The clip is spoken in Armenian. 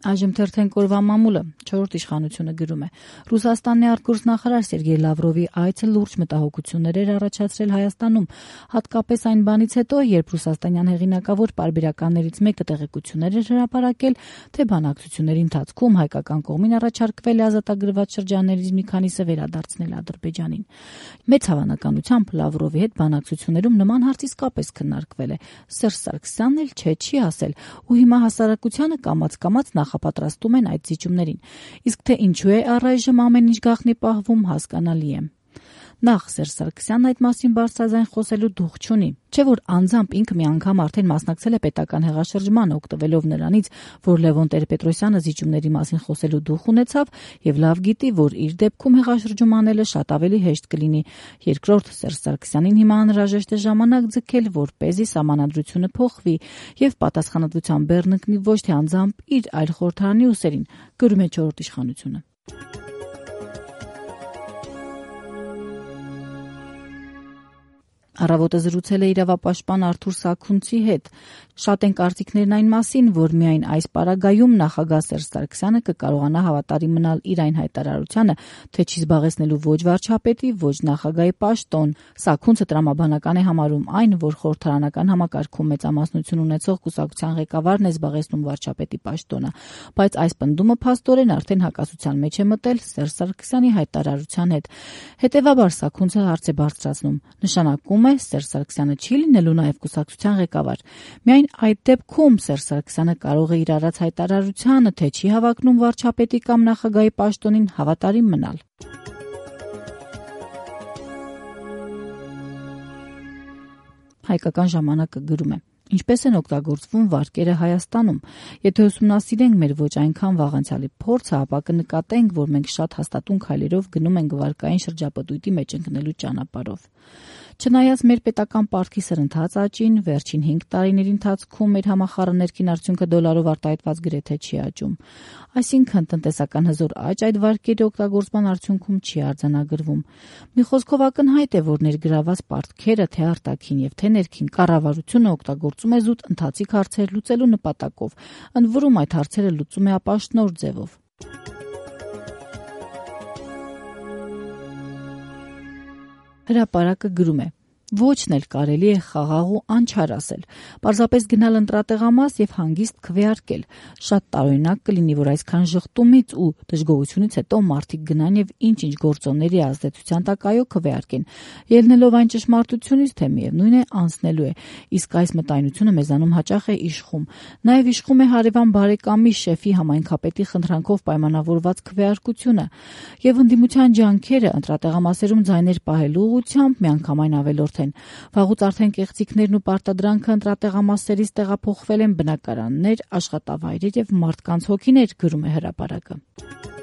Այժմ թերթենք օրվա մամուլը, 4-րդ իշխանությունը գրում է. Ռուսաստանի արտգործնախարար Սերգեյ Լավրովի այցը լուրջ մտահոգություններ էր առաջացրել Հայաստանում, հատկապես այն բանից հետո, երբ ռուսաստանյան հեղինակավոր պարբերականներից մեկը տեղեկություններ էր հրապարակել, թե բանակցությունների ընթացքում հայկական կողմին առաջարկվել է ազատագրված շրջաններից մի քանիսը վերադարձնել Ադրբեջանին։ Մեծ հավանականությամբ Լավրովի հետ բանակցություններում նման հարց իսկապես քննարկվել է։ Սերժ Սարգսյանն էլ չի ասել, ու հիմա հասարակությանը կամաց-կամաց նախապատրաստում են այդ զիջումներին։ Իսկ թե ինչու է առայժմ ամեն ինչ գաղտնի պահվում, հասկանալի է։ Նախ Սերժ Սարգսյանն այդ մասին բարձրաձայն խոսելու դուխ չունի, չէ՞ որ անձամբ ինքը մի անգամ արդեն մասնակցել է պետական հեղաշրջմանը, օգտվելով նրանից, որ Լևոն Տեր-Պետրոսյանը զիջումների մասին խոսելու դուխ ունեցավ եւ լավ գիտի, որ իր դեպքում հեղաշրջում անելը շատ ավելի հեշտ կլինի։ Երկրորդ, Սերժ Սարգսյանին հիմա անհրաժեշտ է ժամանակ ձգել, որպեսզի սահմանադրությունը փոխվի եւ պատասխանատվության բեռն ընկնի ոչ թե անձամբ իր, այլ խորհրդարանի ուսերին, գրում է 4-րդ իշխանությունը։ Առավոտը զրուցել է իրավապաշտպան Արթուր Սաքունցի հետ։ Շատ են կարծիքներն այն մասին, որ միայն այս պարագայում նախագահ Սերժ Սարգսյանը կկարողանա հավատարիմ մնալ իր այն հայտարարությանը, թե չի զբաղեցնելու ոչ վարչապետի, ոչ նախագահի պաշտոն։ Սաքունցը տրամաբանական է համարում այն, որ խորհրդարանական համակարգում մեծամասնություն ունեցող կուսակցության ղեկավարն է զբաղեցնում վարչապետի պաշտոնը, բայց այս պնդումը փաստորեն արդեն հակասության մեջ է մտել Սերժ Սարգսյանի հայտարարության հետ։ Հետևաբար Սաքունցը հարց է բարձրացնում. նշանակում է Սերժ Սարգսյանը չի լինելու նաև կուսակցության ղեկավար։ Միայն այդ դեպքում Սերժ Սարգսյանը կարող է իր արած հայտարարությանը, թե չի հավակնում վարչապետի կամ նախագահի պաշտոնին, հավատարիմ մնալ։ Հայկական ժամանակը գրում է. Ինչպես են օգտագործվում վարկերը Հայաստանում։ Եթե ուսումնասիրենք մեր ոչ այնքան վաղանցյալի փորձը, ապա կնկատենք, որ մենք շատ հաստատուն քայլերով գնում ենք վարկային շրջապտույտի մեջ ընկնելու ճանապարհով։ Չնայած մեր պետական պարտքի սրընթաց աճին, վերջին 5 տարիների ընթացքում մեր համախառն ներքին արդյունքը դոլարով արտահայտված գրեթե չի աճում։ Այսինքն տնտեսական հզոր աճ այդ վարկերի օգտագործման արդյունքում չի արձանագրվում։ Մի խոսքով ակնհայտ է, որ ներգրաված պարտքերը թե արտաքին եւ թե ներքին կառավարությունը օգտագործում է զուտ ընթացիկ հարցեր լուծելու նպատակով, ընդ որում այդ հարցերը լուծում է ապաշնոր ձևով։ Հրապարակը գրում է. Ոչն էլ կարելի է խաղաղ ու անչար ասել, պարզապես գնալ ընտրատեղամաս եւ հանգիստ քվեարկել։ Շատ տարօրինակ կլինի, որ այսքան ժխտումից ու դժգոհությունից հետո մարդիկ գնան եւ ինչ-ինչ գործոնների ազդեցության տակ այո քվեարկեն, ելնելով այն ճշմարտությունից, թե միևնույն է անցնելու է, իսկ այս մտայնությունը մեզանում հաճախ է իշխում։ Նաեւ իշխում է հարևան բարեկամի շեֆի համայնքապետի խնդրանքով պայմանավորված քվեարկությունը եւ ընդդիմության ջանքերը ընտրատեղամասերում ձայներ պահելու ուղղությամբ միանգամայն ավելորդ են։ Վաղուց արդեն կեղծիքներն ու պարտադրանքը ընտրատեղամասերից տեղափոխվել են բնակարաններ, աշխատավայրեր եւ մարդկանց հոգիներ, գրում է հրապարակը։